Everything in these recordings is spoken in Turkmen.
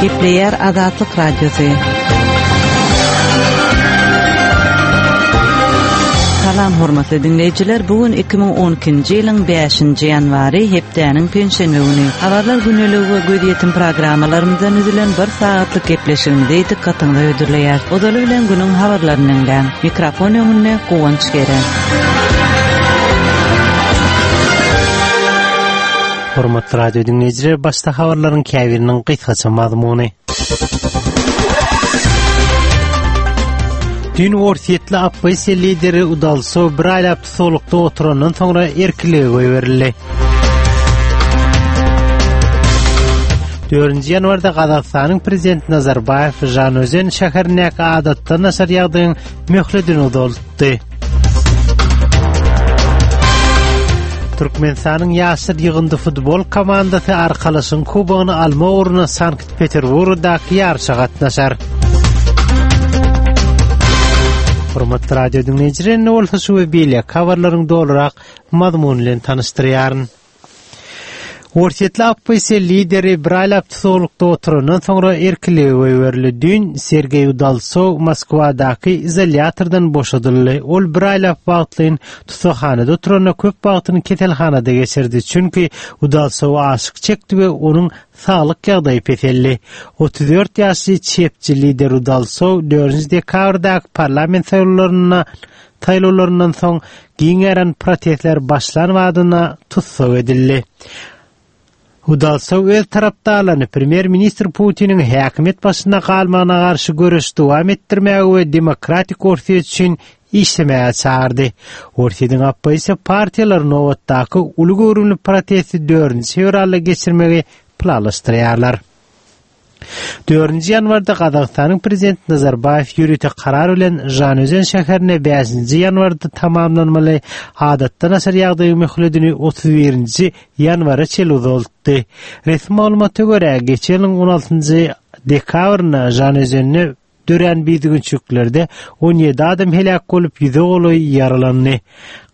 Gepleýär Azatlyk Radiosy. Salam hormatly diňleýjiler, bu gün 2012-nji ýylyň 5-nji ýanwary, hepdäniň penşenbe güni. Habarlar güneligi we gözýetim programmalarymyzdan düzülen bir sagatlyk gepleşigimizi dykgatyňyza hödürleýäris. Ozaly bilen günüň habarlaryny diňläň. Mikrofon öňünde Guwanç Gere. Hormatly radio diňleýjiler, başda habarlaryň käbiriniň gysgaça mazmuny. Düýn orsýetli oppozisiýa lideri Udalsow bir aýlap tussaglykda oturandan soňra erkinlige goýberildi. 4 ýanwarda Gazagystanyň prezidenti Nazarbaýew Žanözen şäherindäki adatdan daşary ýagdaýyň möhledini uzaltdy. Türkmenistanyň ýaşlar ýygyndy futbol komandasy Arkalaşygyň kubogyny almak ugrunda Sankt-Peterburgdaky ýaryşa gatnaşar. Hormatly radio diňleýjiler, indi bolsa şu we beýleki habarlaryň dolurak mazmuny bilen tanyşdyrýaryn. Orsýetli oppozisiýa lideri bir aýlap tussaglykda oturandan soňra erkinlige goýberildi. Düýn Sergeý Udalsow Moskwadaky izolýatordan boşadyldy. Ol bir aýlap wagtlaýyn tussaghanada oturanda köp wagtyny keselhanada geçirdi. Çünki Udalsow aşyk çekdi we onuň saglyk ýagdaýy peseldi. 34 ýaşly çepçi lider Udalsow dördünji dekabrdaky parlament saýlawlarynda Saýlawlaryndan soň giň ýaýran protestler başlan badyna tussag edildi. Udalsow öz tarapdarlaryny premýer-ministr Putiniň häkimiýet başynda galmagyna garşy göreşi dowam etdirmäge we demokratik Orsýet üçin işlemäge çagyrdy. Orsýetiň oppozisiýa partiýalary nobatdaky uly göwrümli protesti dördünji fewralda geçirmegi planlaşdyrýarlar. Dördünji ýanwarda Gazagystanyň Prezidenti Nazarbaýew ýörite karar bilen Žanözen şäherinde bäşinji ýanwarda tamamlanmaly adatdan daşary ýagdaýyň möhledini 31-nji ýanwara çenli uzaltdy. Resmi maglumata görä, geçen ýylyň on altynjy dekabrynda Žanözende Dörän bidügünçiliklerde 17 adam heläk bolup, ýüze golaýy ýaralandy.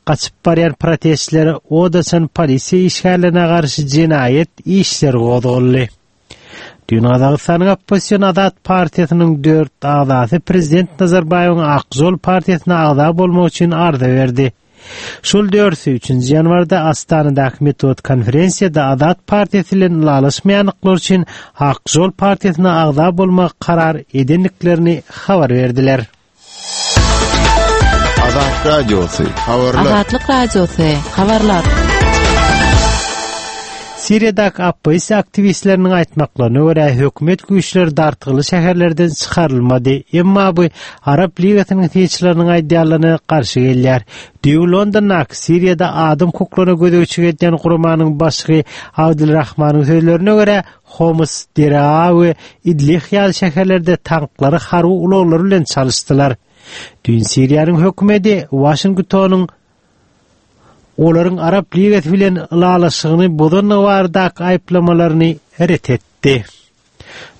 Gaçyp barýan protestçilere od açan polisiýa işgärlerine garşy jenaýat işleri gozgaldy. Düýn Gazagystanyň oppozision Azat partiýasynyň dört agzasy prezident Nazarbaýewiň Ak žol partiýasyna agza bolmak üçin arza berdi. Şol dördüsi üçünji ýanwarda Astanadaky metbugat konferensiýada Azat partiýasy bilen ylalaşmaýandyklary üçin Ak žol partiýasyna agza bolmagy karar edendiklerini habar berdiler. Azat Radiosy, habarlar. Azatlyk Radiosy, habarlar. Siriýadaky oppozisiýa aktiwistleriniň aýtmaklaryna görä, hökümet güýçleri dartgynly şäherlerden çykarylmady. Emma bu Arap Ligasynyň synçylarynyň aýdýanlaryna garşy gelýär. Düýbi Londondaky Siriýada adam hukuklaryna gözegçilik edýän guramanyň başlygy Abdulrahmanyň sözlerine görä, Homs, Deraa we Idlih ýaly şäherlerde tanklary harby ulaglar bilen çalyşdylar. Düýn Siriýanyň hökümeti Waşingtonyň olaryň Arap Ligasy bilen ylalaşygyny bozandygy baradaky aýyplamalaryny ret etdi.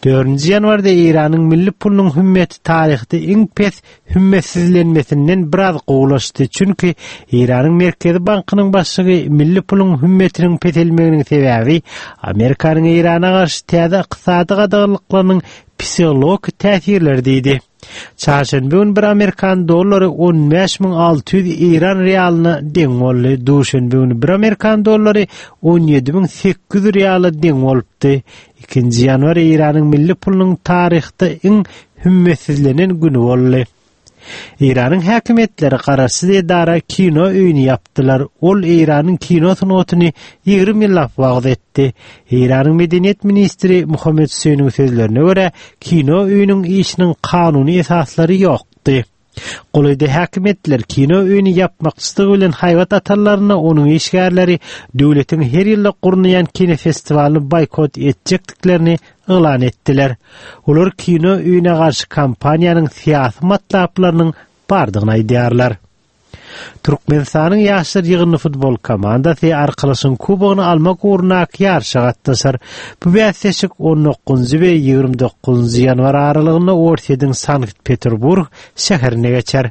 Dördünji ýanwarda Eýranyň milli pulunyň hümmeti taryhda iň pes hümmetsizlenmesinden biraz gowulaşdy, çünki Eýranyň Merkezi bankynyň başlygy milli puluň hümmetiniň peselmeginiň sebäbi Amerikanyň Eýrana garşy täze ykdysady gadaganlyklarynyň psihologik täsirleri diýdi. Çarşenbe güni bir amerikan dollary 15600 eýran realyna deň boldy. Duşenbe güni bir amerikan dollary 17800 reala deň bolupdy. Ikinji ýanwar Eýranyň milli pulunyň taryhda iň hümmetsizlenen güni boldy. Eýranyň häkimiýetleri garaşsyz edara kino öýüni ýapdylar. Ol Eýranyň kino sungatyny 20 ýyllap wagyz etdi. Eýranyň medeniýet ministri Muhammet Hüseýniň sözlerine görä, kino öýüniň işiniň kanuny esaslary ýokdy. Golaýda häkimiýetler kino öýüni ýapmakçydygy bilen haýbat atanlarynda onuň işgärleri döwletiň her ýylda gurnaýan kinofestiwalyny boýkot etjekdiklerini yglan etdiler. Olar kino öýüne garşy kampaniýanyň syýasy matlaplarynyň bardygyny aýdýarlar. Türkmenistanyň ýaşlar ýygyndy futbol komandasy Arkalaşygyň kubogyny almak ugrundaky ýaryşa gatnaşar. Bu bäsleşik on dokuzynjy we 29-njy ýanwar aralygynda Orsýetiň Sankt-Peterburg şäherinde geçer.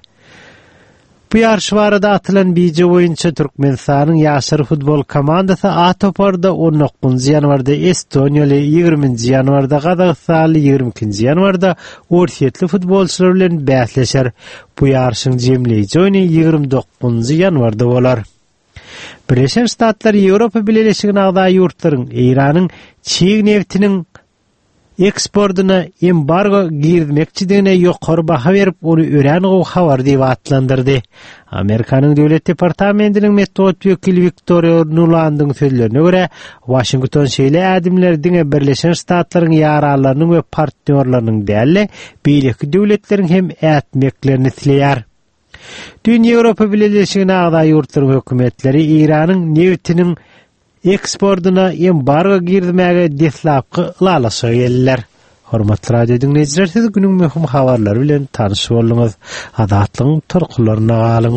Bu ýaryş barada atylan bije boýunça Türkmenistanyň ýaşlar futbol komandasy A toparda on dokuzynjy ýanwarda estoniýaly, ýigriminji ýanwarda gazagystanly, 22-nji ýanwarda orsýetli futbolçylar bilen bäsleşer. Bu ýaryşyň jemleýji oýny 29-njy ýanwarda bolar. Birleşen Ştatlar Ýewropa Bileleşigine agza ýurtlaryň Eýranyň çig nebtiniň eksportyna embargo girizmekçidigine ýokary baha berip, ony örän gowy habar diýip atlandyrdy. Amerikanyň Döwlet departamentiniň metbugat wekili Wiktoriýa Nulandyň sözlerine görä, Waşington şeýle ädimleri diňe Birleşen Ştatlaryň ýaranlarynyň we partnýorlarynyň däl-de, beýleki döwletleriň hem ätmeklerini isleýär. Düýn Ýewropa Bileleşigine agza ýurtlaryň hökümetleri Eýranyň nebitiniň eksportyna embargo girizmäge deslapky ylalaşyga geldiler. Hormatly radio diňleýjiler, siz günüň möhüm habarlary bilen tanyş bolduňyz. Azatlygyň tolkunlarynda galyň.